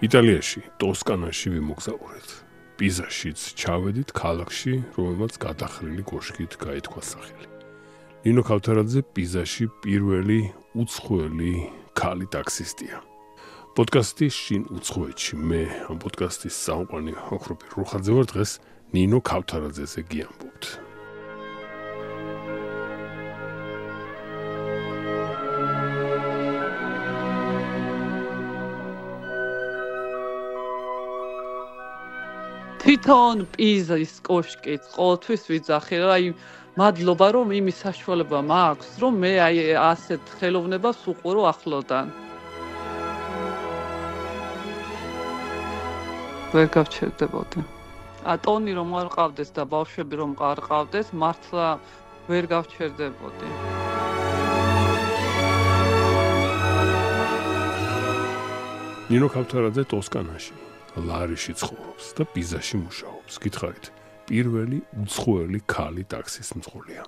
იტალიაში, ტოსკანაში ვიმოგზაურეთ. პიზაშიც ჩავედით ქალაქში, რომელმაც გადახრილი კოშკით გაითქვა სახელი. ნინო ქავთარაძე პიზაში პირველი უცხოელი ქალი ტაქსისტია. პოდკასტის შინ უცხოეთში მე ამ პოდკასტის საყვანი ოქროპი რუხაძე ვარ დღეს ნინო ქავთარაძეზე გიამბობთ. თვითონ პიზის კოშკით ყოველთვის ვიძახი, აი მადლობა რომ იმის საშუალება მაქვს, რომ მე აი ასეთ ხელოვნებას უყურო ახლოდან. ვერ გავჩერდებოდი. ტონი რომ არ ყავდეს და ბავშვები რომ არ ყავდეს, მართლა ვერ გავჩერდებოდი. ნინო ქავთარაძე ტოსკანაში, ლარიში ცხოვრობს და პიზაში მუშაობს. გითხარით, პირველი უცხოელი ქალი ტაქსის მძღოლია.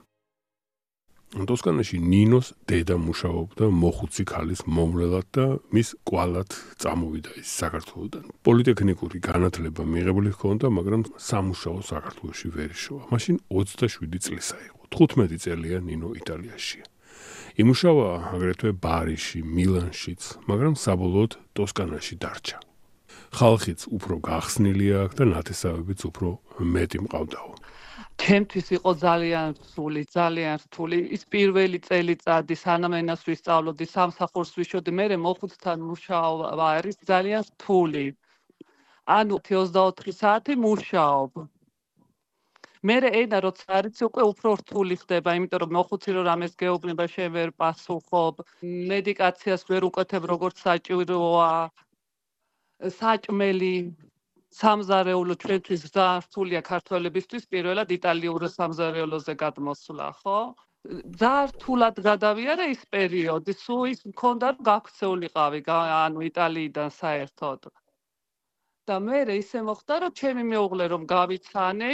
ტოსკანაში ნინოს დედა მუშაობდა მოხუცი ქალის მომვლელად და მის კვალად წამოვიდა ის საქართველოდან. პოლიტექნიკური განათლება მიღებული ჰქონდა, მაგრამ სამუშაო საქართველოში ვერ იშოვა. მაშინ 27 წლისა იყო. 15 წელია ნინო იტალიაშია. იმუშავა აგრეთვე ბარიში, მილანშიც, მაგრამ საბოლოოდ ტოსკანაში დარჩა. ხალხიც უფრო გახსნილი აქვს და ნათესავებიც უფრო მეტი მყავდაო. ჩემთვის იყო ძალიან რთული. ის პირველი წელიწადი სანამ ენას ვისწავლოდი, სამსახურს ვიშოდი, მე მოხუცთან მუშაობა არის ძალიან რთული. ანუ 24 საათი მუშაობ. მე ენა როცა არიცი უკვე უფრო რთული ხდება, იმიტომ რომ მოხუცი რომ რამეს გეუბნება, შენ ვერ პასუხობ, მედიკაციას ვერ უკეთებ როგორც საჭიროა. საჭმელი სამზარეულო ჩვენთვის ძალიან რთულია ქართველებისთვის, პირველად იტალიურ სამზარეულოზე გადმოსვლა, ხო? ძალიან რთულად გადავიარე ის პერიოდი, სულ ის მქონდა რომ გაქცეულიყავი, ანუ იტალიიდან საერთოდ. და მე ისე მოხდა რომ ჩემი მეუღლე რომ გავიცანე,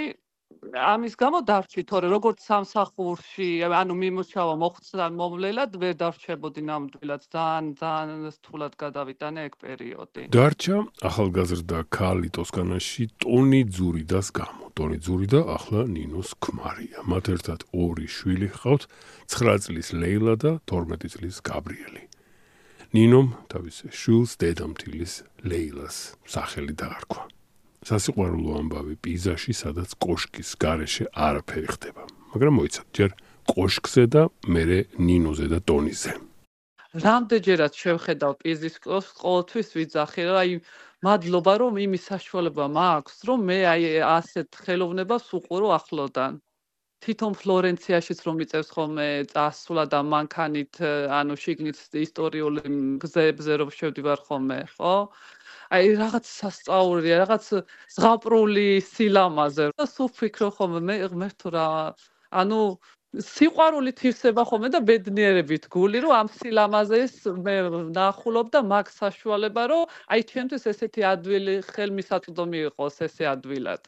ამის გამო დარჩი, თორე როგორც სამსახურში, ანუ მიმუშავა მოხუცთან მომვლელად ვერ დარჩებოდი ნამდვილად, ძალიან რთულად გადავიტანე ეგ პერიოდი. დარჩა ახალგაზრდა ქალი ტოსკანაში ტონი ძურიდას გამო. ტონი ძურიდა ახლა ნინოს ქმარია. მათ ერთად 2 შვილი ჰყავთ, 9 წლის ლეილა და 12 წლის გაბრიელი. ნინომ თავის შვილს დედამთილის ლეილას სახელი დაარქვა. სასიყვარულო ამბავი პიზაში, სადაც კოშკის გარეშე არაფერი ხდება. მაგრამ მოიცავ, ჯერ კოშკზე და მერე ნინოზე და ტონიზე. რამდენჯერაც შევხედავ პიზის კოშკს, ყოველთვის ვიძახი, რომ აი მადლობა რომ იმის საშუალება მაქვს, რომ მე აი ასეთ ხელოვნებას უყურო ახლოდან. თვითონ ფლორენციაშიც რომ მიწევს ხოლმე წასვლა და მანქანით, ანუ შიგნით ისტორიული გზებზე რომ შევდივარ ხოლმე, ხო? აი რაღაც სასწაულია, რაღაც ზღაპრული სილამაზე. და სულ ვფიქრობ ხოლმე მე ღმერთო რა, ანუ სიყვარულით ივსება ხოლმე და ბედნიერებით გული, რომ ამ სილამაზეს მე ნახულობ და მაგ საშუალება, რომ აი ჩემთვის ესეთი ადვილი ხელმისაწვდომი იყოს ესე ადვილად.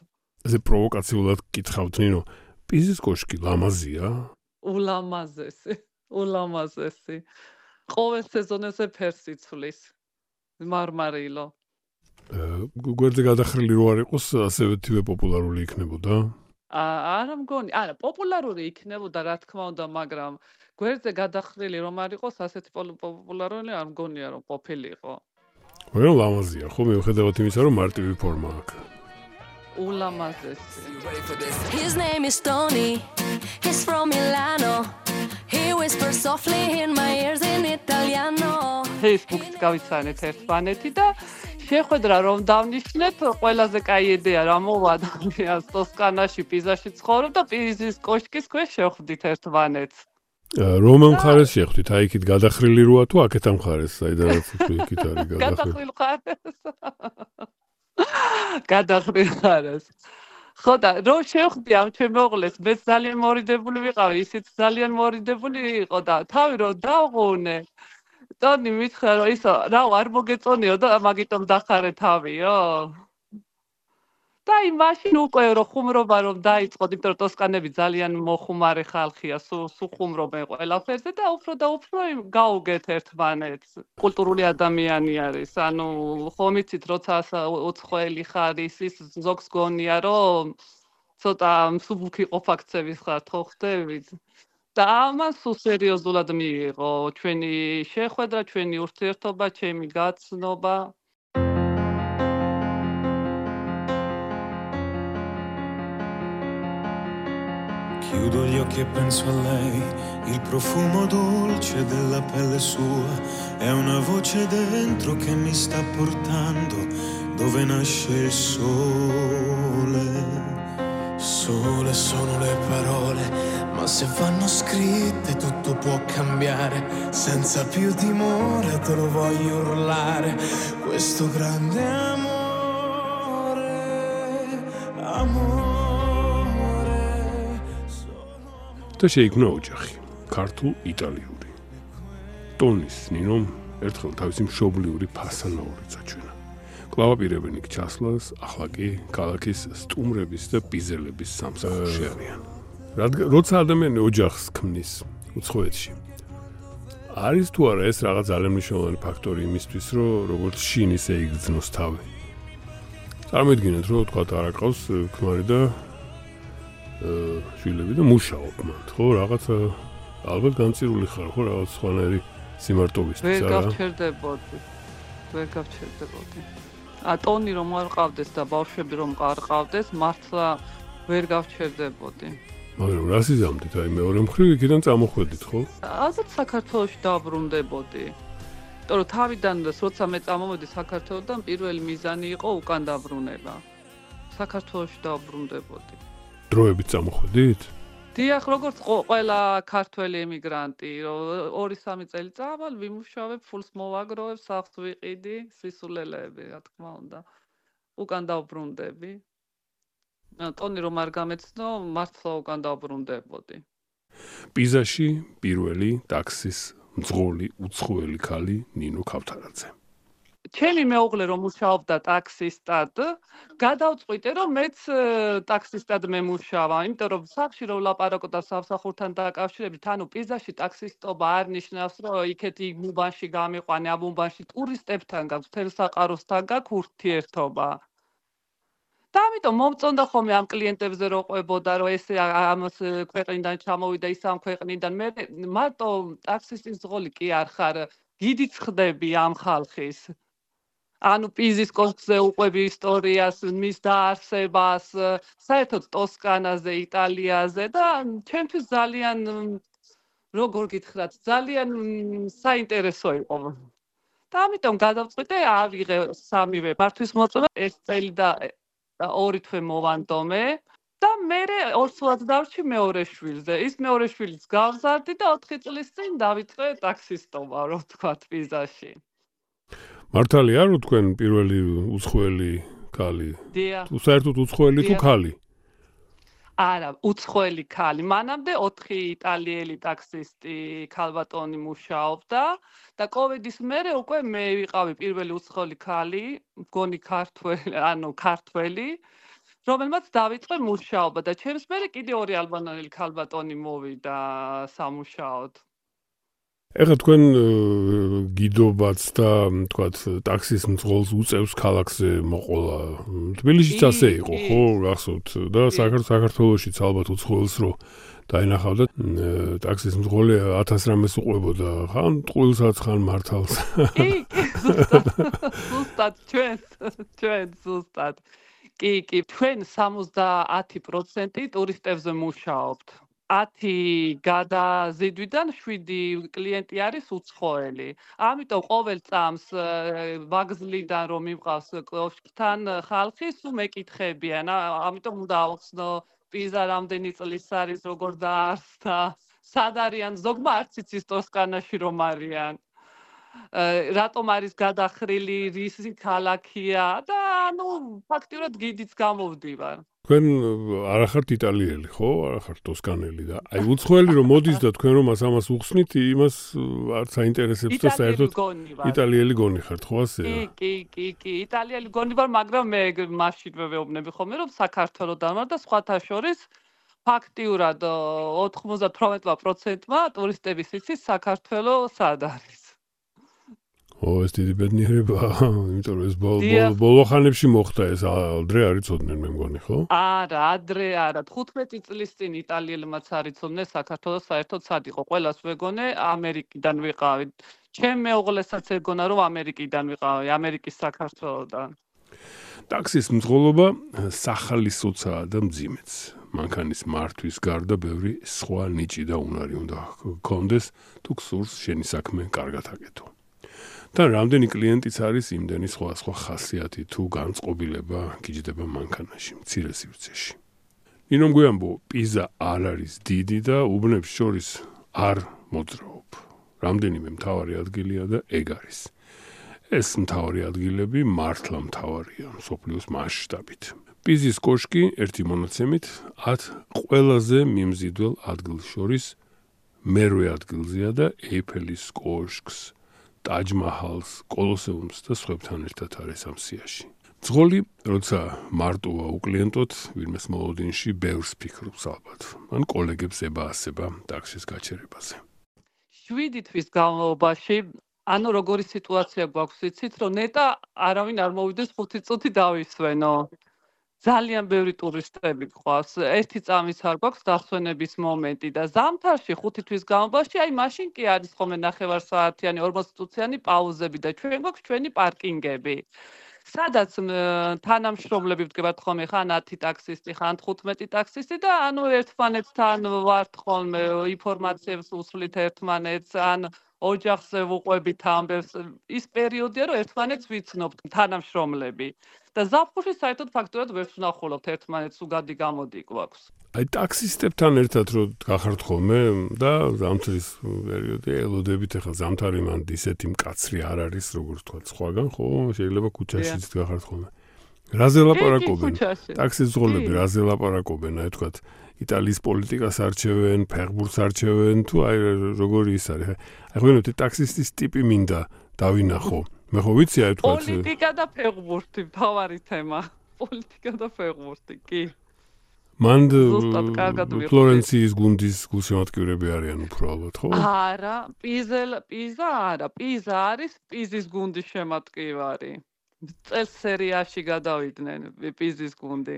ესე პროვოკაციულად გითხავთ, ნინო, პიზის კოშკი ლამაზია? ულამაზესი. ყოველ სეზონზე ფერს იცვლის. მარმარილო. გვერდზე გადახრილი რო არ იყოს, ასევე თივე პოპულარული იქნებოდა? არა მგონი, არა, პოპულარული იქნებოდა, რა თქმა უნდა, მაგრამ გვერდზე გადახრილი რომ არ იყოს, ასეთი პოპულარული არ მგონია რომ ყოფილიყო. მაგრამ ლამაზია, ხო, მიუხედავად იმისა, რომ მარტივი ფორმა აქვს. ულამაზესი. His name is Tony. He's from Milano. He whispers softly in my ears in Italiano. Facebook-ს გავიცანეთ ერთმანეთი და შეხვედრა რომ დავნიშნეთ, ყველაზე კაი იდეა რა მოვა ადამიანს ტოსკანაში, პიზაში ცხოვრობ და პიზის კოშკის ქვეშ შევხვდით ერთმანეთს. რომელ მხარეს შეხვდით? აი იქით გადახრილი როა თუ აქეთ ამ მხარეს, საიდანაც იქით არის გადახრილი? გადახრილ მხარეს. გადახრილ მხარეს. ხო და რომ შევხვდი ამ ჩემ მეუღლეს, მე ძალიან მორიდებული ვიყავი, ისიც ძალიან მორიდებული იყო და თავი რომ დავღუნე. ტონი მითხრა რომ ისო, რა არ მოგეწონიო და მაგიტომ დახარე თავიო. და მაშინ უკვე რო ხუმრობა რომ დაიწყოთ, იმიტომ რომ ტოსკანები ძალიან მოხუმარე ხალხია, სულ ხუმრობენ ყველაფერზე და უფრო გაუგეთ ერთმანეთს. კულტურული ადამიანი არის, ანუ ხომ იცით, როცა უცხოელი ხარ, ის ზოგს გონია, რომ ცოტა მსუბუქი ყოფაქცევის ხარ, ხო ხდებით? და ამან სულ სერიოზულად მიიღო ჩვენი შეხვედრა, ჩვენი ურთიერთობა, ჩემი გაცნობა. Chiudo gli occhi e penso a lei, il profumo dolce della pelle sua, è una voce dentro che mi sta portando dove nasce il sole. Sole sono le parole, ma se vanno scritte tutto può cambiare, senza più timore te lo voglio urlare, questo grande amore, amore. და შეიქმნა ოჯახი, ქართულ-იტალიური. ტონის ნინომ ერთხელ თავისი მშობლიური ფასანაური წაჩვენა. კლავაპირებენ იქ ჩასვლას, ახლა კი ქალაქის სტუმრების და პიზელების სამსახურში არიან. როცა ადამიანი ოჯახს ქმნის უცხოეთში, არის თუ არა ეს რაღაც ძალიან მნიშვნელოვანი ფაქტორი იმისთვის, რომ როგორც შინ ისე იგრძნოს თავი. წარმოიდგინეთ, რომ თქვა არა ყავს ქმარი და შვილები და მუშაობ მათ, ხო, რაღაცა ალბათ განცირული ხარ, ხო, რაღაც სხვანაირი სიმარტოვისთვის, არა? ვერ გავჩერდებოდი. ტონი რომ არ ყავდეს და ბავშვები რომ არ ყავდეს, მართლა ვერ გავჩერდებოდი. მაგრამ რა სიზამდით, აი მეორე მხრივ იქიდან წამოხვედით, ხო? ალბათ საქართველოში დაბრუნდებოდი. იმიტომ რომ თავიდან როცა მე წამოვედი საქართველოდან, პირველი მიზანი იყო უკან დაბრუნება. საქართველოში დაბრუნდებოდი. დროებით წამოხვედით? დიახ, როგორც ყველა ქართველი ემიგრანტი, რომ 2-3 წელი წავალ, ვიმუშავებ, ფულს მოვაგროვებ, სახლს ვიყიდი, სისულელეები, რა თქმა უნდა. უკან დავბრუნდები. ტონი რომ არ გამეცნო, მართლა უკან დავბრუნდებოდი. პიზაში პირველი ტაქსის მძღოლი უცხოელი ქალი ნინო ქავთარაძე. ჩემი მეუღლე რომ მუშაობდა ტაქსისტად, გადავწყვიტე რომ მეც ტაქსისტად მემუშავა, იმიტომ რომ სახში რომ ვლაპარაკობდა სამსახურთან დაკავშირებით, ანუ პიზაში ტაქსისტობა არ ნიშნავს, რომ იქეთ უბანში გამიყვანე, ამ უბანში ტურისტებთან გაქვს, თელსაყაროსთან გაქვს ურთიერთობა. და ამიტომ მომწონდა ხოლმე ამ კლიენტებზე რო ყვებოდა, რომ ეს ამას ქვეყნიდან ჩამოვიდა, ის ამ ქვეყნიდან. მე მარტო ტაქსისტის მძღოლი კი არ ხარ, გიდიც ხდები ამ ხალხის. ანუ პიზის კოშკზე უყვები ისტორიას, მის დაარსებას, საერთოდ ტოსკანაზე, იტალიაზე და ჩემთვის ძალიან როგორ გითხრათ, ძალიან საინტერესო იყო. და ამიტომ გადავწყვიტე ავიღე სამივე მართვის მოწონა, ეს წელი და 2 თვე მოვანდომე და მე 2 წელს დავრჩი მეორე შვილზე. ის მეორე შვილიც გავზარდი და 4 წლის წინ დავიწყე ტაქსისტობა, რო ვთქვათ, პიზაში. მართალია რომ თქვენ პირველი უცხოელი ქალი? თუ საერთოდ უცხოელი თუ ქალი? არა, უცხოელი ქალი. მანამდე 4 იტალიელი ტაქსისტი ქალბატონი მუშაობდა და კოვიდის მერე უკვე მე ვიყავი პირველი უცხოელი ქალი, მგონი ქართველი, რომელმაც დავიწყე მუშაობა და ჩემს მერე კიდე 2 ალბანელი ქალბატონი მოვიდა სამუშაოდ. ეხლა თქვენ გიდობაც და თქვათ ტაქსის მძღოლს უწევს ქალაქზე მოყოლა. თბილისშიც ასე იყო, ხო, გახსოვთ და საქართველოშიც ალბათ უცხოელს რო დაინახავდა ტაქსის მძღოლი 1000 რამეს უყვებოდა, ხან ტყუილსაც, ხან მართალს. ზუსტად ჩვენ ზუსტად. კი, ჩვენ 70% ტურისტებზე მუშაობთ. 10 გადაზიდვიდან 7 კლიენტი არის უცხოელი. ამიტომ ყოველ წამს ვაგზლიდან რომ მივყავს კოშკთან ხალხი, სულ მეკითხებიან. ამიტომ უნდა ავხსნო პიზა რამდენი წლის არის, როგორ დაარსდა, სად არიან, ზოგმა არც იცის ტოსკანაში რომ არიან. რატომ არის გადახრილი, რისი ქალაქია და ანუ ფაქტიურად გიდიც გამოვდივარ. თქვენ არ ახართ იტალიელი, ხო? არ ახართ ტოსკანელი და აი უცხოელი რომ მოდის და თქვენ რომ ამას უხსნით, იმას არც აინტერესებს და საერთოდ იტალიელი გონი ხართ, ხო ასეა? კი, იტალიელი გონი ვარ, მაგრამ მე მაშინვე ვეუბნები ხოლმე რომ საქართველოდან ვარ და სხვათა შორის ფაქტიურად 98%-მა ტურისტების იცის საქართველო სად არის. ეს დიდი ბედნიერებაა, იმიტომ რომ ეს ბოლო ხანებში მოხდა ეს ადრე არ იცოდნენ მე მგონი, ხო? არა, ადრე არა, 15 წლის წინ იტალიელებმაც არ იცოდნენ საქართველოს საერთოდ სად იყო. ყველას ვეგონე ამერიკიდან ვიყავი. ჩემ მეუღლესაც ეგონა რომ ამერიკიდან ვიყავი, ამერიკის საქართველოდან. ტაქსის მძღოლობა სახალისოცაა და მძიმეც. მანქანის მართვის გარდა ბევრი სხვა ნიჭი და უნარი უნდა გქონდეს, თუ გსურს შენი საქმე კარგად აკეთო. და რამდენი კლიენტიც არის იმდენი სხვა ხასიათი თუ განწყობილება გიჯდება მანქანაში, მცირე სივრცეში. ნინომ გვიამბო, პიზა არ არის დიდი და უბნებს შორის არ მოძრაობ. რამდენიმე მთავარი ადგილია და ეგ არის. ეს მთავარი ადგილები მართლა მთავარია მსოფლიოს მასშტაბით. პიზის კოშკი ერთი მონაცემით 10 ყველაზე მიმზიდველ ადგილს შორის მერვე ადგილზეა და ეიფელის კოშკს, ტაჯ-მაჰალს, კოლოსეუმს და სხვებთან ერთად არის ამ სიაში. ძღოლი, როცა მარტოა უკლიენტოდ, ვინმეს მოლოდინში ბევრს ფიქრობს ალბათ. ან კოლეგებს ებაასება ტაქსის გაჩერებაზე. 7 თვის განმავლობაში, ანუ როგორი სიტუაცია გვაქვს, იცით, რომ ნეტა არავინ არ მოვიდეს 5 წუთი დავისვენო. ძალიან ბევრი ტურისტები გვყავს. ერთი წამის არ გვაქვს დასვენების მომენტი და ზამთარში 5 თვის განმავლობაში, აი მაშინ კი არის ხოლმე ნახევარსაათიანი, 40 წუთიანი პაუზები და ჩვენ გვაქვს ჩვენი პარკინგები. სადაც თანამშრომლები ვდგებათ ხოლმე, ხან 10 ტაქსისტი, ხან 15 ტაქსისტი და ანუ ერთმანეთთან ვართ ხოლმე, ინფორმაციებს უსვლით ერთმანეთს, ან ოჯახზე ვუყვებით ამბებს. ის პერიოდია, რომ ერთმანეთს ვიცნობთ თანამშრომლები. და ზაფხულში საერთოდ ფაქტურად ვერ ვნახულობთ ერთმანეთს, უგადი გამოდი გვაქვს. აი ტაქსისტებთან ერთად რო გახართ ხოლმე და ზამთრის პერიოდი ელოდებით, ახლა ზამთარი მანდ ისეთი მკაცრი არ არის, როგორც თქვა სხვაგან, ხო? შეიძლება ქუჩაშიც გახართ ხოლმე. რაზე ლაპარაკობენ? ტაქსის მძღოლები რაზე ლაპარაკობენ, აი თქვა იტალიის პოლიტიკას არჩევენ, ფეხბურთს არჩევენ, თუ აი როგორი ის არის. აი ღვინოთ ტაქსისტის ტიპი მინდა დავინახო. მე ხო ვიცი აი თქვა პოლიტიკა და ფეხბურთი მთავარი თემა. პოლიტიკა და ფეხბურთი, კი. მანდ ფლორენციის გუნდის გულშემატკივრები არიან უფრო ალბათ, ხო? არა, პიზა არა, პიზა არის პიზის გუნდის შემატკივარი. წელს სერიაში გადავიდნენ პიზის გუნდი.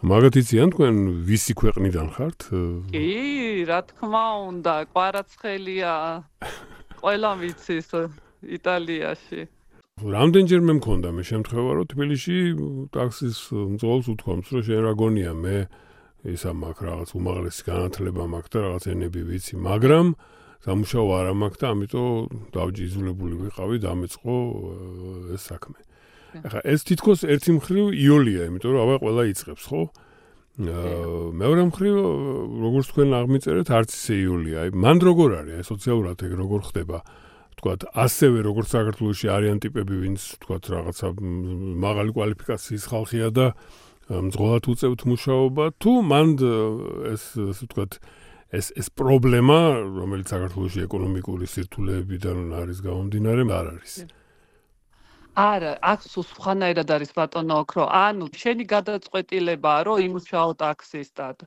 მაგათ იციან თქვენ ვისი ქვეყნიდან ხართ? კი, რა თქმა უნდა, კვარაცხელია. ყველა ვიცის იტალიაში. რამდენჯერმე მქონდა მე შემთხვევა, რომ თბილისში ტაქსის მძღოლს უთქვამს, რომ შენ რა გონია, მე ისა მაქვს რაღაც უმაღლესი განათლება მაქვს და რაღაც ენები ვიცი, მაგრამ სამუშაო არ მაქვს და ამიტომ დავჯიზულებული ვიყავი და ამეწყო ეს საქმე. ახლა ეს თითქოს ერთი მხრივ იოლია, იმიტომ რომ აბა ყველა იწყებს, ხო? მეორე მხრივ, როგორც თქვენ აღმიწერეთ, არც ისე იოლია. აი, მან როგორ არის, აი სოციალურად ეგ როგორ ხდება? თქვათ, ასევე როგორც საქართველოში არიან ტიპები, ვინც თქვათ, რაღაცა მაღალი კვალიფიკაციის ხალხია და მძღოლად უწევთ მუშაობა, თუ მან ეს თქვათ, ეს პრობლემა, რომელიც საქართველოში ეკონომიკური სირთულეებიდან არის გამომდინარე, არ არის. არა, აქ სხვანაირად არის ბატონო ოქრო. ანუ შენი გადაწყვეტილებაა, რომ იმუშაო ტაქსისტად.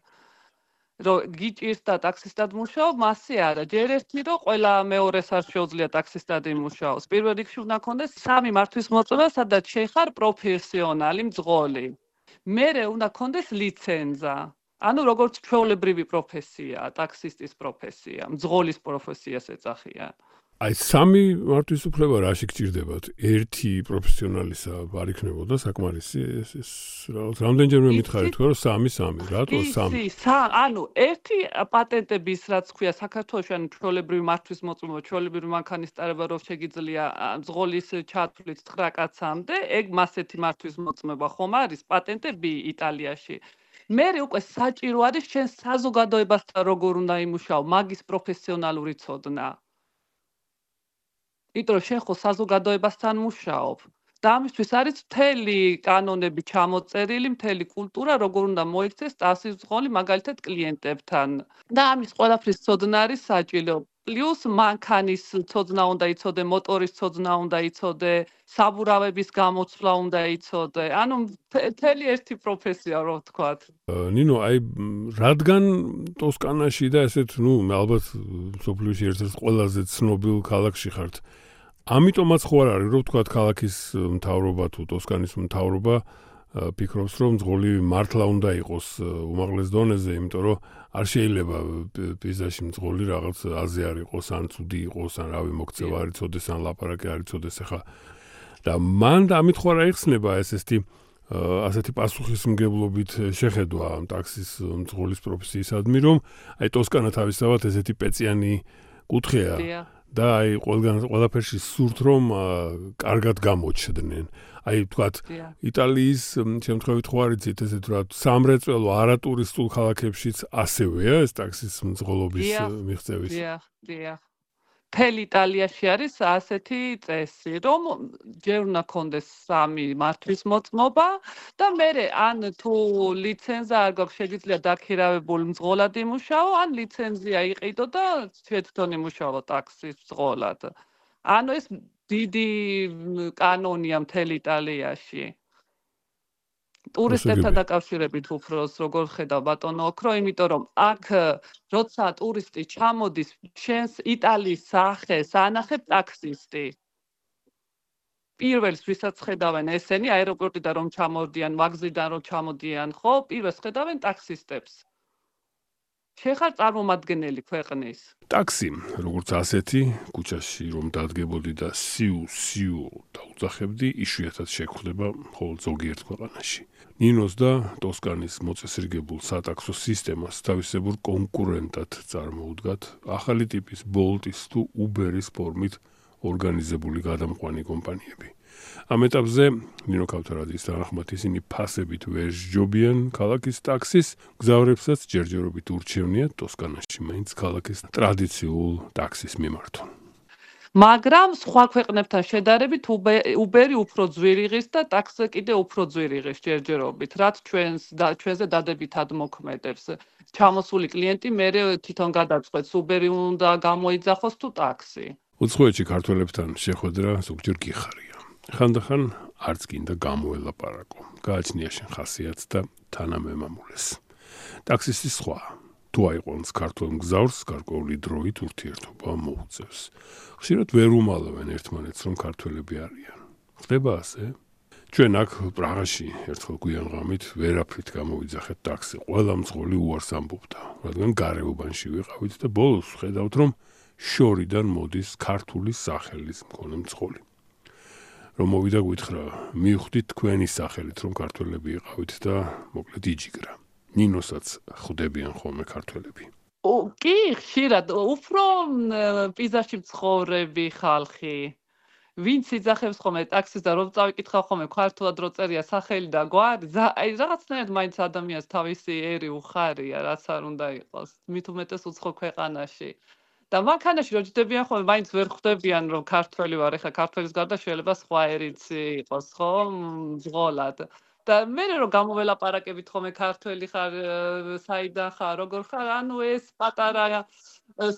რომ გიჭირს და ტაქსისტად მუშაობ, მასე არა. ჯერ ერთი რომ ყველა მეორეს არ შეუძლია ტაქსისტად იმუშაოს. პირველ რიგში უნდა ქონდეს 3 მართვის მოწმობა, სადაც შეხარ პროფესიონალი მძღოლი. მერე უნდა ქონდეს ლიცენზა. ანუ როგორც ჩვეულებრივი პროფესია, ტაქსისტის პროფესია, მძღოლის პროფესიას ეძახიან. აი 3 მართვის უფლება რაში გჭირდებათ? ერთი პროფესიონალისა არ იქნებოდა საკმარისი ეს რაღაც რამდენჯერმე მითხარით თქვა რომ 3, რატო 3? ანუ ერთი პატენტების რაც ქვია საქართველოს ან ჩვეულებრივი მართვის მოწმობა, ჩვეულებრივი მანქანის ტარება რო შეგიძლია მძღოლის ჩათვლით 9 კაცამდე, ეგ მასეთი მართვის მოწმობა ხომ არის პატენტები იტალიაში. მერე უკვე საჭირო არის შენ საზოგადოებასთან როგორ უნდა იმუშაო, მაგის პროფესიონალური ცოდნა. იმიტომ რომ შენ ხო საზოგადოებასთან მუშაობ. და ამისთვის არის მთელი კანონები ჩამოწერილი, მთელი კულტურა, როგორ უნდა მოიქცეს ტაქსის მძღოლი მაგალითად კლიენტებთან. და ამის ყველაფრის ცოდნა არის საჭირო. პლუს მანქანის ცოდნა უნდა იცოდე, მოტორის ცოდნა უნდა იცოდე, საბურავების გამოცვლა უნდა იცოდე. ანუ მთელი ერთი პროფესია, რო ვთქვათ. ნინო, აი რადგან ტოსკანაში და ესეთ, ალბათ სოფლიოში ერთ-ერთ ყველაზე ცნობილ ქალაქში ხართ. ამიტომაც ხო არ არის, რომ ვთქვათ, ქალაქის მთავრობა თუ ტოსკანის მთავრობა ფიქრობს, რომ მძღოლი მართლა უნდა იყოს უმაღლეს დონეზე, იმიტომ რომ არ შეიძლება პიზაში მძღოლი რაღაც აზე არ იყოს, ან ცუდი იყოს, ან რავი მოქცევა არ იცოდეს, ან ლაპარაკი არ იცოდეს ახლა. და მან ამით ხო არ აიხსნება ასეთი პასუხისმგებლობით შეხედვა ტაქსის მძღოლის პროფესიისადმი, რომ აი ტოსკანა თავისთავად ესეთი პეწიანი კუთხეა. და აი ყველაფერში სურთ რომ კარგად გამოჩნდნენ. აი თქვათ იტალიის შემთხვევით ხო არ იცით ესეთ რა სამრეწველო არატურისტულ ქალაქებშიც ასევეა ეს ტაქსის მძღოლობის მიღწევის. დიახ. მთელ იტალიაში არის ასეთი წესი, რომ ჯერ უნდა კონდეს 3 მართვის მოწმობა და მერე ან თუ ლიცენზია არ გაქვს შეგიძლია დაქირავებულ მძღოლად იმუშაო, ან ლიცენზია იყიდო და თვითონ იმუშაო ტაქსის მძღოლად. ანუ ეს დიდი კანონია მთელ იტალიაში. ტურისტებთან დაკავშირებით უფროს როგორ ხედავ ბატონო ოქრო, იმიტომ რომ აქ როცა ტურისტი ჩამოდის, შენს იტალიის სახეს ანახებ ტაქსისტი. პირველს ვისაც ხედავენ ესენი აეროპორტიდან რომ ჩამოდიან, ვაგზლიდან რომ ჩამოდიან, ხო, პირველს ხედავენ ტაქსისტებს. შეხარ წარმომადგენელი ქვეყნის. ტაქსი, როგორც ასეთი, ქუჩაში რომ დადგებოდი და სიუ დაუძახებდი, იშვიათად შეგვხვდება მხოლოდ ზოგიერთ ქვეყანაში. ნინოს და ტოსკანის მოწესრიგებულ სატაქსო სისტემას თავისებურ კონკურენტად წარმოუდგათ ახალი ტიპის Bolt-ის თუ Uber-ის ფორმით ორგანიზებული გადამყვანი კომპანიები. ამ ეტაპზე ნინო ქავთარაძის თანახმად ისინი ფასებით ვერ სჯობიან ქალაქის ტაქსის, გზავრებსაც ჯერჯერობით ურჩევნიათ ტოსკანაში მაინც ქალაქის ტრადიციულ ტაქსის მიმართონ. მაგრამ სხვა ქვეყნებთან შედარებით Uber-ი უფრო ძვირიღის და ტაქსი კიდე უფრო ძვირიღის ჯერჯერობით, რაც ჩვენზე დადებითად მოქმედებს. ჩამოსული კლიენტი მერე თვითონ გადაწყვეტს Uber-ი უნდა გამოიძახოს თუ ტაქსი. უცხოეთში ქართველებთან შეხვედრა ზოგჯერ გიხარია. ხანდახან არც გინდა გამოელაპარაკო. გააჩნია შენ ხასიათს და თანამემამულეს. ტაქსისტი სხვა. თუ აიყვანს ქართულ მგზავრს, გარკვეული დროით ურთიერთობა მოუწევს. ხშირად ვერ უმალავენ ერთმანეთს, რომ ქართველები არიან. ხდება ასე? ჩვენ აქ პრაღაში ერთხელ გვიან ღამით ვერაფრით გამოვიძახეთ ტაქსი. ყველა მძღოლი უარს ამბობდა, რადგან გარეუბანში ვიყავით და ბოლოს ხედავთ, რომ შორიდან მოდის ქართული სახელის მქონე მძღოლი. რომ მოვიდა გვითხრა, მივხვდით თქვენი სახელით, რომ ქართველები იყავით და მოკლედ იჯიგრა. ნინოსაც ხვდებიან ხოლმე ქართველები. კი, ხშირად, უფრო პიზაში მცხოვრები ხალხი. ვინც იძახებს ხოლმე ტაქსის და რომ წავიკითხავ ხოლმე ქართულად რო წერია სახელი და გვარი, აი რაღაცნაირად მაინც ადამიანს თავისი ერი უხარია, რაც არ უნდა იყოს. მით უმეტეს უცხო ქვეყანაში. და მანქანაში რო ჯდებიან ხოლმე მაინც ვერ ხვდებიან რომ ქართველი ვარ, ეხლა ქართველის გარდა შეიძლება სხვა ერიც იყოს, ხო, მძღოლად. და მე რომ გამოველაპარაკებით ხოლმე ქართველი ხარ, საიდან ხარ, როგორ ხარ, ანუ ეს პატარა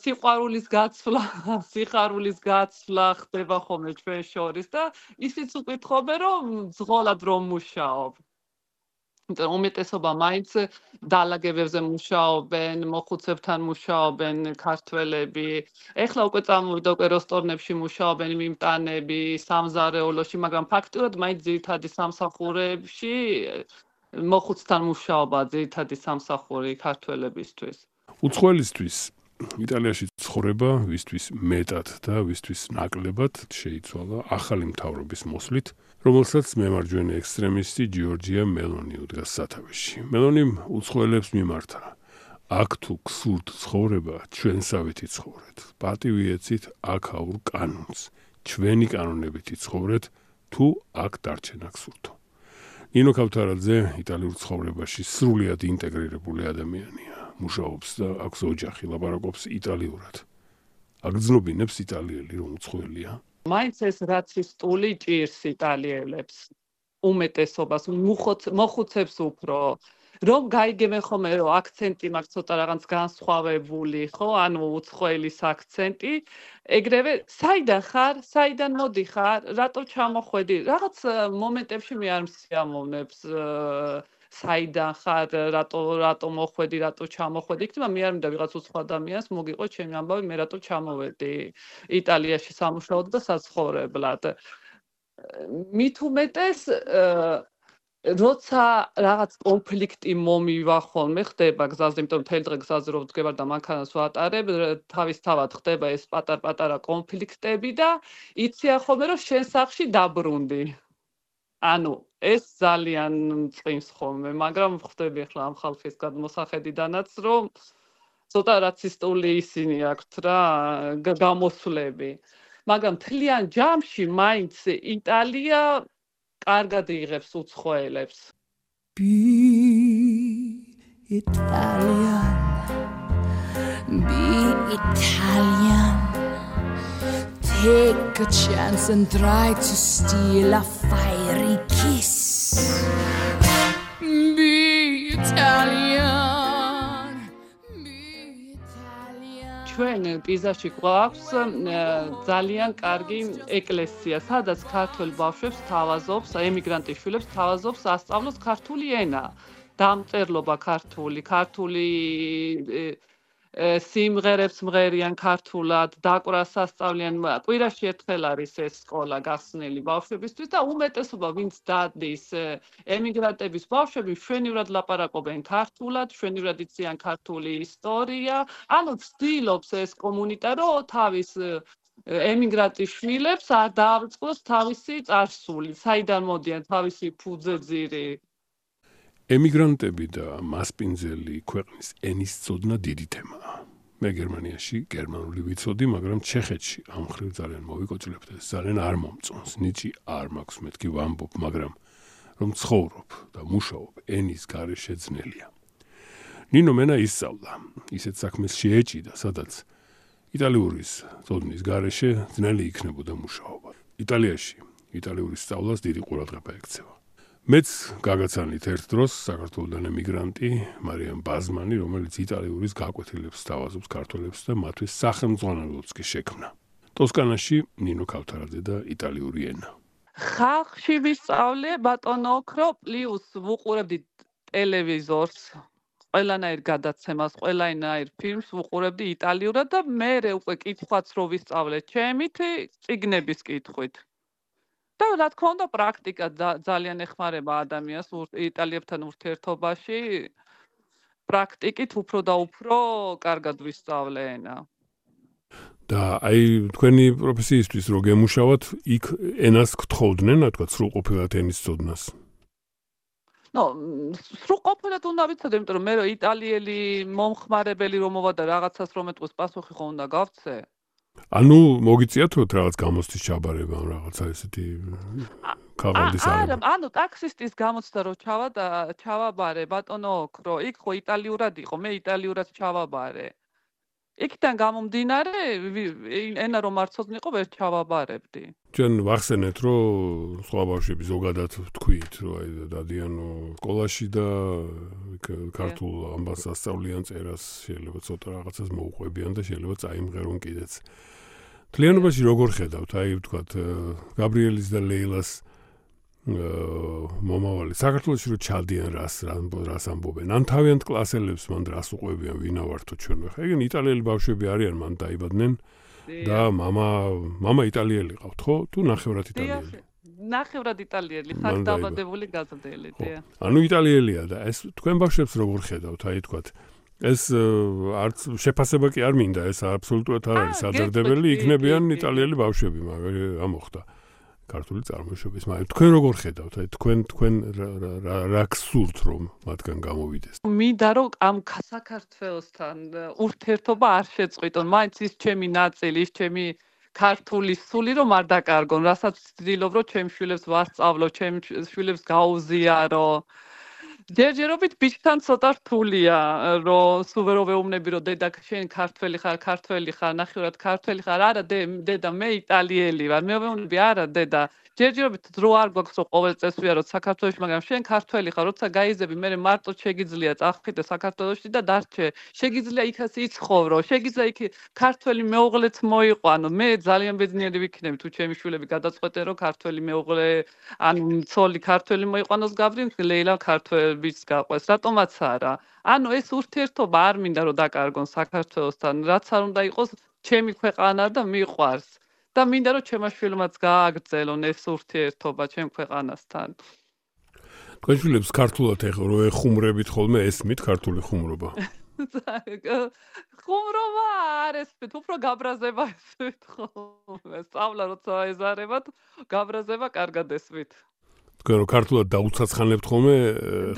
სიყვარულის გაცვლა ხდება ხოლმე ჩვენ შორის და ისიც უკითხობენ რომ მძღოლად რომ მუშაობ. უმეტესობა მაინც დალაგებებზე მუშაობენ, მოხუცებთან მუშაობენ ქართველები. ეხლა უკვე წამოვიდა უკვე რესტორნებში მუშაობენ მიმტანები, სამზარეულოში, მაგრამ ფაქტურად მაინც ძირითადი სამსახურებში მოხუცთან მუშაობა ძირითადი სამსახური ქართველებისთვის. უცხოელისთვის იტალიაში ცხოვრება ვისთვის მეტად და ვისთვის ნაკლებად შეიცვალა ახალი მთავრობის მოსვლით, რომელსაც მემარჯვენე ექსტრემისტი ჯორჯია მელონი უდგას სათავეში. მელონიმ უცხოელებს მიმართა: აქ თუ გსურთ ცხოვრება, ჩვენსავით იცხოვრეთ. პატივი ეცით აქაურ კანონს. ჩვენი კანონებით იცხოვრეთ, თუ აქ დარჩენა გსურთო. ნინო ქავთარაძე იტალიურ ცხოვრებაში სრულიად ინტეგრირებული ადამიანია. მუშაობს და აქვს ოჯახი, ლაპარაკობს იტალიურად. აგრძნობინებს იტალიელი რომ უცხოელია. მაინც ეს რაცისტული ჭირს იტალიელებს უმეტესობას მოხუცებს უფრო რომ გაიგებენ ხოლმე რომ აქცენტი მაქვს ცოტა რაღაც განსხვავებული ხო ანუ უცხოელის აქცენტი ეგრევე საიდან ხარ საიდან მოდიხარ რატო ჩამოხვედი რაღაც მომენტებში მე არ მსიამოვნებს საიდან ხარ რატო მოხვედი რატო ჩამოხვედი იქნება მე არ მინდა ვიღაც უცხო ადამიანს მოგიყო ჩემი ამბავი მე რატო ჩამოვედი იტალიაში სამუშაოდ და საცხოვრებლად მით უმეტეს როცა რაღაც კონფლიქტი მომივა ხოლმე ხდება გზაზე, იმიტომ მთელი დღე გზაზე რო ვდგებარ და მანქანას ვატარებ, თავისთავად ხდება ეს პატარ-პატარა კონფლიქტები და იციან ხოლმე რომ შენ სახლში დაბრუნდი. ანუ ეს ძალიან წვიმს ხოლმე, მაგრამ ხვდები ახლა ამ ხალხის გადმოსახედიდანაც რომ ცოტა რაცისტული ისინი აქვთ რა გამოსვლები. მაგრამ მთლიან ჯამში მაინც იტალია კარგად იღებს უცხოელებს. Be Italian. Be Italian. Take a chance and try to steal a fiery kiss. Be Italian. Be Italian. ჩვენ პიზაში გვაქვს ძალიან კარგი ეკლესია, სადაც ქართველ ბავშვებს თავაზობს, ემიგრანტის შვილებს თავაზობს ასწავლოს ქართული ენა, დამწერლობა ქართული სიმღერებს მღერიან ქართულად, დაკვრას ასწავლიან, კვირაში ერთხელ არის ეს სკოლა გახსნილი ბავშვებისთვის და უმეტესობა ვინც დადის ემიგრანტების ბავშვები მშვენივრად ლაპარაკობენ ქართულად, მშვენივრად იციან ქართული ისტორია, ანუ ცდილობს ეს კომუნიტა რომ თავის ემიგრანტის შვილებს არ დააწყოს თავისი წარსული, საიდან მოდიან თავისი ფუძეძირი. ემიგრანტები და მასპინძელი ქვეყნის ენის წოდნა დიდი თემაა. მე გერმანიაში გერმანული ვიცოდი, მაგრამ ჩეხეთში ამ ხრივ ძალიან მოვიკოჭლებთ და ძალიან არ მომწონს. ნიჭი არ მაქვს, მეთქი ვამბობ, მაგრამ რომ ცხოვრობ და მუშაობ ენის გარეშე ძნელია. ნინო მენა ისწავლა, ისეთ საქმეს შეეჭიდა, სადაც იტალიური წოდნის გარეშე ძნელი იქნებოდა მუშაობა. იტალიაში იტალიური სწავლას დიდი ყურადღება ექცევა. მეც გაგაცანით ერთ დროს საქართველოდან ემიგრანტი მარიამ ბაზმანი, რომელიც იტალიური გაკვეთილებს თავაზობს ქართველებს და მათთვის სახელმძღვანელოც კი შექმნა. ტოსკანაში ნინო ქავთარაძე და იტალიური ენა. ხალხში ვისწავლე ბატონო ოქრო პლუს ვუყურებდი ტელევიზორს, ყველანაირ გადაცემას, ყველანაირ ფილმს ვუყურებდი იტალიურად და მე უკვე კითხვაც რო ვისწავლე ჩემით, წიგნების კითხვით. და რა თქმა უნდა პრაქტიკა ძალიან ეხმარება ადამიანს იტალიებთან ურთიერთობაში პრაქტიკით უფრო და უფრო კარგად ვისწავლე ენა. და აი თქვენი პროფესიისთვის რო გემუშავათ, იქ ენას გთხოვდნენ, რა თქვა, სრულყოფილად ენის წოდნას. სრულყოფილად უნდა ვიცოდე, იმიტომ რომ მე რო იტალიელი მომხმარებელი რომ მოვა და რაღაცას რომ ეთქოს პასუხი ხო უნდა გავცე. ანუ მოგიწიათ რაღაც გამოცდის ჩაბარება ან რაღაცა ესეთი ქაღალდის არა, ანუ ტაქსისტის გამოცდა რო ჩავაბარე ბატონო ოქრო, იქ ხო იტალიურად იყო, მე იტალიურად ჩავაბარე. იქიდან გამომდინარე, ენა რომ არ ცოდნიყო, ვერ ჩავაბარებდი. ჩვენ ვახსენეთ, რომ სხვა ბავშვები ზოგადად თქვით, რომ აი დადიან სკოლაში და ქართულ ამბავს ასწავლიან წერას, შეიძლება ცოტა რაღაცას მოუყვებიან და შეიძლება წაიმღერონ კიდეც. თლიანობაში როგორ ხედავთ, აი ვთქვათ, გაბრიელის და ლეილას მომავალი საქართველოში რო ჩადიან რას ამბობენ, ან თავიანთ კლასელებს მან რას უყვებიან, ვინა ვართო ჩვენ ხა. ეგენ იტალიელი ბავშვები არიან, მან დაიბადნენ და მამა იტალიელი ყავთ, ხო? თუ ნახევრად იტალიელი? ნახევრად იტალიელი, ხარ დაბადებული გაზრდელი, დიახ. ანუ იტალიელია და ეს თქვენ ბავშვებს როგორ ხედავთ, აი თქვათ ეს არც შეფასება კი არ მინდა, ეს აბსოლუტურად არ არის სადარდებელი, იქნებიან იტალიელი ბავშვები, მაგრამ ამოხდა ქართული წარმოშობის, მაგრამ თქვენ როგორ ხედავთ, აი თქვენ რა გსურთ რომ მათგან გამოვიდეს? მინდა რომ ამ საქართველოსთან ურთიერთობა არ შეწყვიტონ, მაინც ის ჩემი ნაწილი, ის ჩემი ქართული სული რომ არ დაკარგონ, რასაც ვცდილობ რომ ჩემს შვილებს ვასწავლო, ჩემს შვილებს გაუზიარო. ჯერჯერობით ბიჭთან ცოტა რთულია, რომ სულ ვერ ვეუბნები, რომ დედა შენ ქართველი ხარ, ნახევრად ქართველი ხარ. არა, დედა, მე იტალიელი ვარ. მე ვეუბნები, არა, დედა, ჯერჯერობით დრო არ გვაქვს, რომ ყოველ წელს ვიარო საქართველოში, მაგრამ შენ ქართველი ხარ, როცა გაიზები, მე მარტო შეგიძლია წახდე საქართველოში და დარჩე. შეგიძლია იქაც იცხოვრო, შეგიძლია იქ ქართველი მეუღლეც მოიყვანო. მე ძალიან ბედნიერი ვიქნები, თუ ჩემი შვილები გადაწყვეტენ, რომ ქართველი მეუღლე, ანუ ცოლი ქართველი მოიყვანოს გავლენ, ლეილა ქართველიც გაყვეს. რატომაც არა? ანუ ეს ურთიერთობა არ მინდა რომ დაკარგონ საქართველოსთან, რაც არ უნდა იყოს ჩემი ქვეყანა და მიყვარს. და მინდა რომ ჩემმა შვილმაც გააგრძელონ ეს ურთიერთობა ჩემ ქვეყანასთან. თქვენ შვილებს ქართულად რო ეხუმრებით ხოლმე ესმით ქართული ხუმრობა? ხუმრობა არ ესმით, უფრო გაბრაზება ესმით ხოლმე. სწავლა როცა ეზარებათ, გაბრაზება კარგად ესმით. თქვენ რო ქართულად დაუცაცხანებთ ხოლმე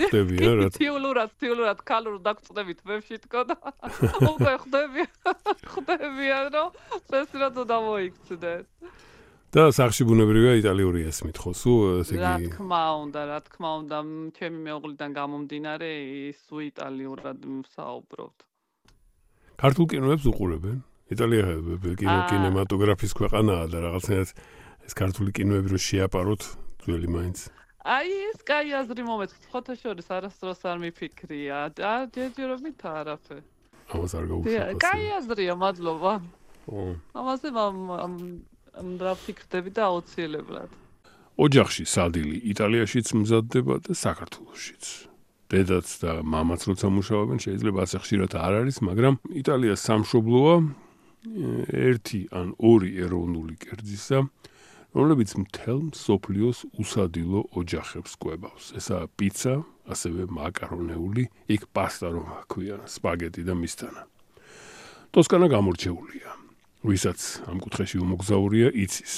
ხდებიან რა? თიულად ქალურ დაგწდებით ვებში თქო და უკვე ხდებიან რომ წესი რა დამოიქცდეთ. და სახში ბუნებრივია იტალიური ესმით ხო? სულ ესე რა იგი თქმა უნდა, ჩემი მეუღლიდან გამომდინარე ის იტალიურად ვსაუბრობთ. ქართულ კინოებს უყურებენ? იტალია კინემატოგრაფის ქვეყანაა და რაღაცნაირად ეს ქართული კინოები რო შეაპაროთ ძველი მაინც. აი ეს კაი აზრი მომეწონს, ხოთა შორის არასდროს არ მიფიქრია და ჯერჯერობით არაფერ. ამას არ გაუშვებია. კაი აზრია, მადლობა. ამაზე რა ფიქრდები და აუცილებლად. ოჯახში სადილი იტალიაშიც მზადდება და საქართველოშიც. დედაც და მამაც როცა მუშაობენ, შეიძლება ასე ხშირად არ არის, მაგრამ იტალია სამშობლოა ერთი ან ორი ეროვნული კერძისა, რომლებიც მთელ მსოფლიოს უსადილო ოჯახებს კვებავს. ესაა პიცა, ასევე მაკარონეული, იქ პასტა რომ ქვია, სპაგეტი და მისთანა. ტოსკანა გამორჩეულია. ვისაც ამ კუთხეში უმოგზაურია იცის.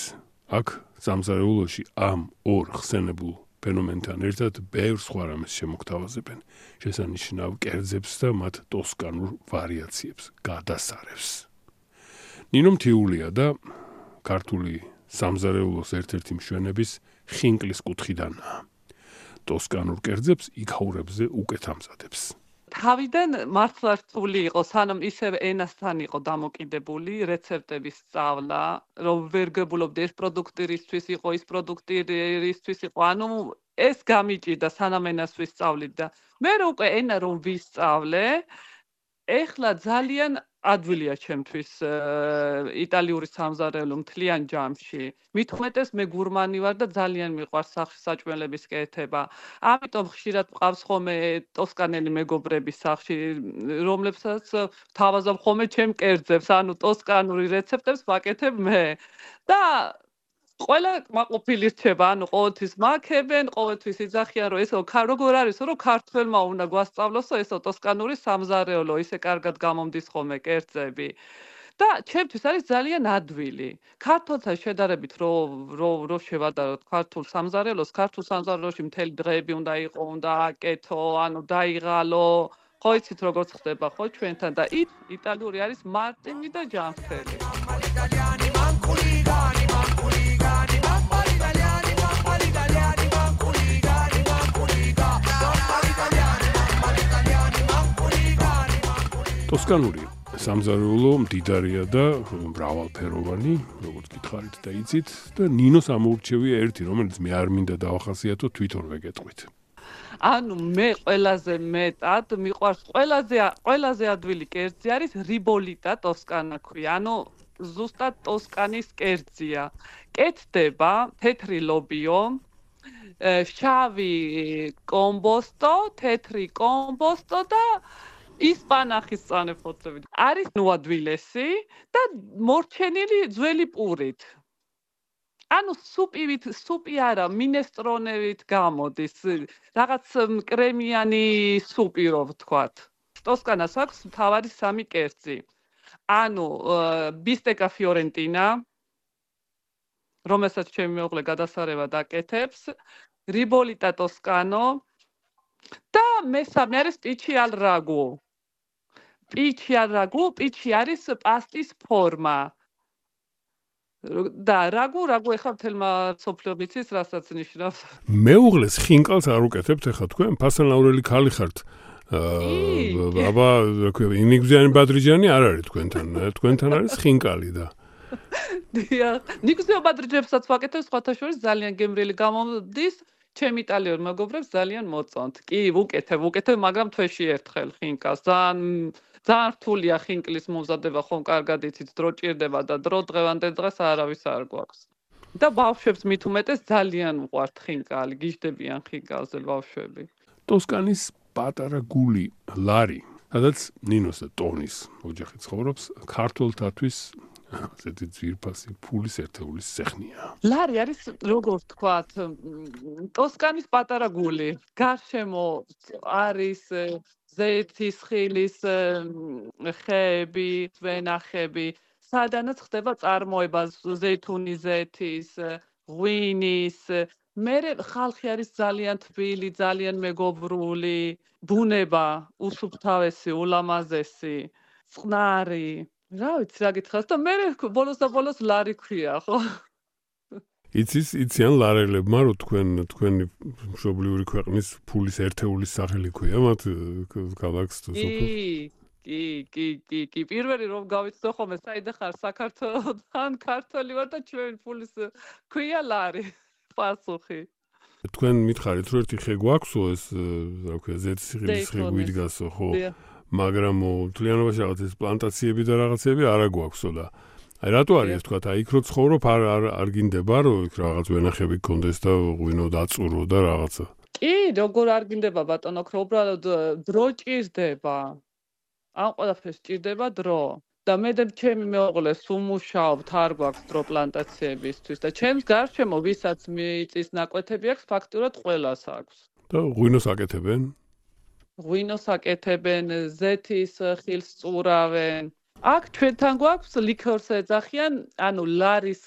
აქ სამზარეულოში ამ ორ ხსენებულ ფენომენთან ერთად ბევრ სხვა რამეს შემოგთავაზებენ. შესანიშნავ კერძებს და მათ ტოსკანურ ვარიაციებს, გადასარევს. ნინო მთიულია და ქართული სამზარეულოს ერთ-ერთი მშვენების ხინკლის კუთხიდანაა. ტოსკანურ კერძებს იქაურებზე უკეთ ამზადებს. თავიდან მართლა რთული იყო, სანამ ისევ ენასთან იყო დამოკიდებული რეცეპტების სწავლა, რომ ვერ გებულობდი ეს პროდუქტი რისთვის იყო, ის პროდუქტი რისთვის იყო. ანუ ეს გამიჭირდა სანამ ენას ვისწავლით და მე უკვე ენა რომ ვისწავლე, ეხლა ძალიან ადვილია ჩემთვის იტალიური სამზარეულო მთლიან ჯამში. მით უმეტეს მე გურმანი ვარ და ძალიან მიყვარს სახში საჭმელების კეთება. ამიტომ ხშირად მყავს ხოლმე ტოსკანელი მეგობრები სახში, რომლებსაც თავაზობ ხოლმე ჩემ კერძებს, ანუ ტოსკანური რეცეპტებს ვაკეთებ მე. და ყველა კმაყოფილი რჩება, ანუ ყოველთვის მაქებენ, ყოველთვის იძახიან, რომ ესო როგორ არის, რომ ქართველმა უნდა გვასწავლოსო ესო ტოსკანური სამზარეულო, ისე კარგად გამომდის ხოლმე კერძები. და ჩემთვის არის ძალიან ადვილი. ქართულთან შედარებით რო შევადაროთ ქართულ სამზარეულოს, ქართულ სამზარეულოში მთელი დღეები უნდა იყო, უნდა აკეთო, ანუ დაიღალო. ხო იცით როგორ ხდება ხო ჩვენთან და იტალიური არის მარტივი და ჯანმრთელი. ტოსკანური სამზარეულო მდიდარია და მრავალფეროვანი, როგორც გითხარით და იცით, და ნინოს ამოურჩევია ერთი, რომელიც მე არ მინდა დავახასიათო, თვითონვე გეტყვით. ანუ მე ყველაზე მეტად მიყვარს ყველაზე ადვილი კერძი არის რიბოლიტა ტოსკანა ქვია. ანუ ზუსტად ტოსკანის კერძია. კეთდება თეთრი ლობიო, შავი კომბოსტო, თეთრი კომბოსტო და ისპანახის წანეფოთლებით. არის ნუადვილესი და მორჩენილი ძველი პურით. ანუ სუპი არა, მინესტრონებით გამოდის, რაღაც კრემიანი სუპი რო ვთქვათ. ტოსკანას აქვს მთავარი სამი კერძი. ანუ ბისტეკა ფიორენტინა, რომელსაც ჩემი მეუღლე გადასარევად აკეთებს, რიბოლიტა ტოსკანო და მესამე არის პიჩი ალ რაგუ. პიჩი არის პასტის ფორმა. და რაგუ ეხლა მთელმა სოფლიო მიცის რასაც ნიშნავს. მეუღლეს ხინკალს არ უკეთებთ ეხლა თქვენ ფასანაურელი ქალი ხართ. აბა რა ქვია ინიგზიანი ბადრიჯანი არ არის თქვენთან არის ხინკალი და დიახ ნიგზიო ბადრიჯებსაც ვაკეთებ სხვათა შორის ძალიან გემრიელი გამოდის ჩემ იტალიურ მეგობრებს ძალიან მოწონთ კი ვუკეთებ მაგრამ თვეში ერთხელ ხინკას ძალიან რთულია ხინკლის მომზადება ხომ კარგად იცით დრო ჭირდება და დრო დღევანდელ დღეს არავის არ გვაქვს და ბავშვებს მით უმეტეს ძალიან უყვართ ხინკალი გიждდებიან ხინკალზე ბავშვები ტოსკანის პატარა გული ლარი სადაც ნინოს და ტონის ოჯახი ცხოვრობს ქართველთათვის ასეთი ძვირფასი ფულის ერთეულის სეხნია ლარი არის როგორც თქვათ ტოსკანის პატარა გული გარშემო არის ზეთის ხილის ხეები ვენახები სადანაც ხდება წარმოება ზეითუნის ზეთის ღვინის მერე ხალხი არის ძალიან თბილი, ძალიან მეგობრული, ბუნება უსუფთავესი, ულამაზესი, წყნარი. რა ვიცი, რა გითხრას და მერე ბოლოს ლარი ქვია, ხო? იციან ლარელებმა, რომ თქვენი მშობლიური ქვეყნის ფულის ერთეულის სახელი ქვია, მათ ქალაქს თუ სოფელს. კი, პირველი რომ გავიცნო ხოლმე, საიდან ხარ საქართველოსთან, ქართველი ვარ და ჩვენ ფულის ქვია ლარი. პასუხი. თქვენ მითხარით, რომ ერთი ხე გვაქვსო ეს, რა ქვია, ზეთისხილის ხე გვიდგასო, ხო? მაგრამ თლიანობაში რაღაც ეს პლანტაციები და რაღაცები არა გვაქვსო და აი რატო არის ეს თქვა, აი იქ რო ცხოვრობ არ გინდება რომ იქ რაღაც ვენახები გქონდეს და ღვინო დაწურო და რაღაცა. კი, როგორ არ გინდება ბატონო, უბრალოდ დრო ჭირდება. ამ ყველაფერს ჭირდება დრო. და მე და ჩემი მეუღლე სუმუშაობთ არ გვაქვს დრო პლანტაციებისთვის და ჩემს გარშემო ვისაც მიწის ნაკვეთები აქვს ფაქტურად ყველას აქვს და ღვინოს აკეთებენ ღვინოს აკეთებენ ზეთის ხილს წურავენ აქ ჩვენთან გვაქვს ლიქორს ეძახიან ანუ ლარის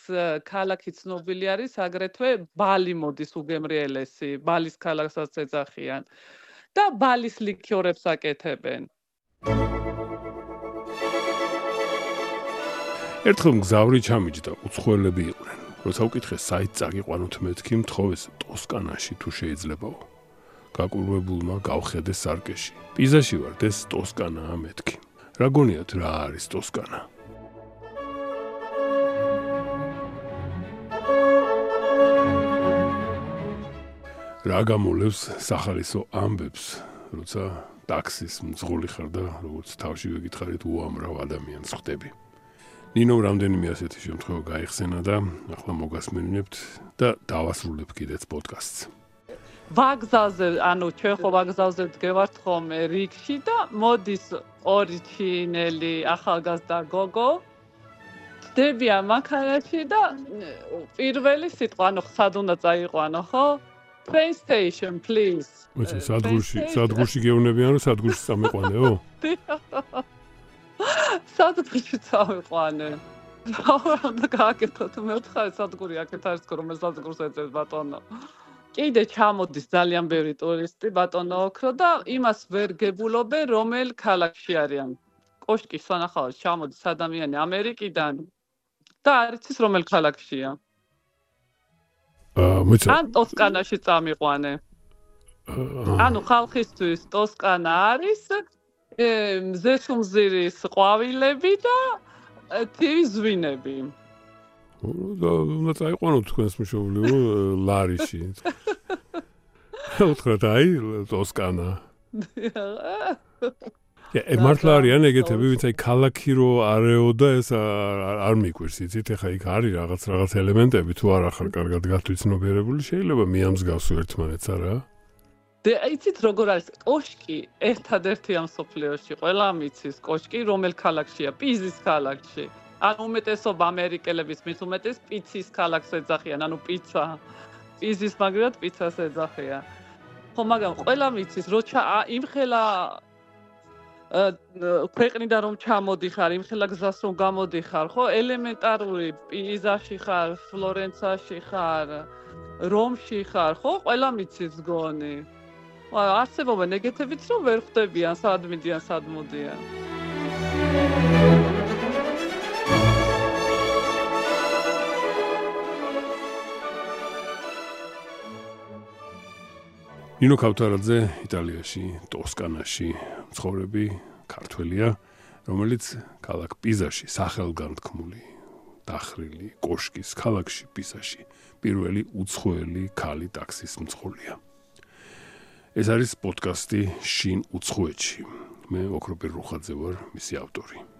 ქალაქი ცნობილი არის აგრეთვე ბალი მოდის უგემრიელესი ბალის ქალაქსაც ეძახიან და ბალის ლიქორებს აკეთებენ ერთხელ მგზავრი ჩამიჯდა, უცხოელები იყვნენ. როცა უკითხე საით წაგიყვანოთ მეთქი, მთხოვეს ტოსკანაში თუ შეიძლებაო. გაკურვებულმა გავხედე სარკეში. პიზაში ვარ, ეს ტოსკანაა მეთქი. რა გონიათ რა არის ტოსკანა? რა გამოლევს სახალისო ამბებს, როცა ტაქსის მძღოლი ხარ და როგორც თავში ვეკითხარით უამრავ ადამიანს ხვდები. ნინო რამდენიმე ასეთი შემთხვევა გაიხსენა და ახლა მოგასმენინებთ და დავასრულებ კიდეც პოდკასტს. ვაგზალზე, ანუ ჩვენ ხო ვაგზალზე ვდგევართ ხოლმე რიგში და მოდის ორი ჩინელი ახალგაზრდა გოგო. ხდებიან მანქანაში და პირველი სიტყვა, ანუ სად უნდა წაიყვანო, ხო? Train station, please. მოიცა სადგურში გეუნებიან რომ სადგურში წამიყვანეო? სადგურში წავიყვანე. რა უნდა გააკეთოთ? მე ვთხარი სადგური აქეთ არის, რომ სადგურს ეძებს ბატონო. კიდე ჩამოდის ძალიან ბევრი ტურისტი ბატონო ოქრო და იმას ვერ გებულობენ რომელ ქალაქში არიან. კოშკის სანახავად ჩამოდის ადამიანი ამერიკიდან და არ იცის რომელ ქალაქშია. ან ტოსკანაში წამიყვანე. ანუ ხალხისთვის ტოსკანა არის მზესუმზირის ყვავილები და თივის ზვინები. უნდა წაიყვანოთ თქვენს მშობლიურ ლარიში. უთხრათ აი ტოსკანა. მართლა არიან ეგეთები, ვინც აი ქალაქი რო არეო და ეს არ მიკვირს, იცით, ეხა იქ არის რაღაც ელემენტები, თუ არ ახარ კარგად გათვითცნობიერებული, შეიძლება მიამსგავსო ერთმანეთს, არა? იცით როგორ არის კოშკი ერთადერთი ამ სოფლიოში ყველა მიცის კოშკი რომელ ქალაქშია პიზის ქალაქში ანუ უმეტესობა ამერიკელების მის უმეტეს პიცის ქალაქს ეძახიან ანუ პიცა პიზის მაგრად პიცას ეძახიან ხო მაგრამ ყველა მიცის როცა იმხელა ქვეყნიდან რომ ჩამოდიხარ იმხელა გზას რომ გამოდიხარ ხო ელემენტარული პიზაში ხარ ფლორენციაში ხარ რომში ხარ ხო ყველა მიცის გონი არსებობენ ეგეთებიც რომ ვერ ხვდებიან სად მიდიან სად მოდიან ნინო ქავთარაძე იტალიაში, ტოსკანაში მცხოვრები ქართველია, რომელიც ქალაქ პიზაში სახელგანთქმული დახრილი კოშკის ქალაქში პიზაში პირველი უცხოელი ქალი ტაქსის მძღოლია. ეს არის პოდკასტი შინ უცხოეთში. მე ოქროპირ რუხაძე ვარ, მისი ავტორი.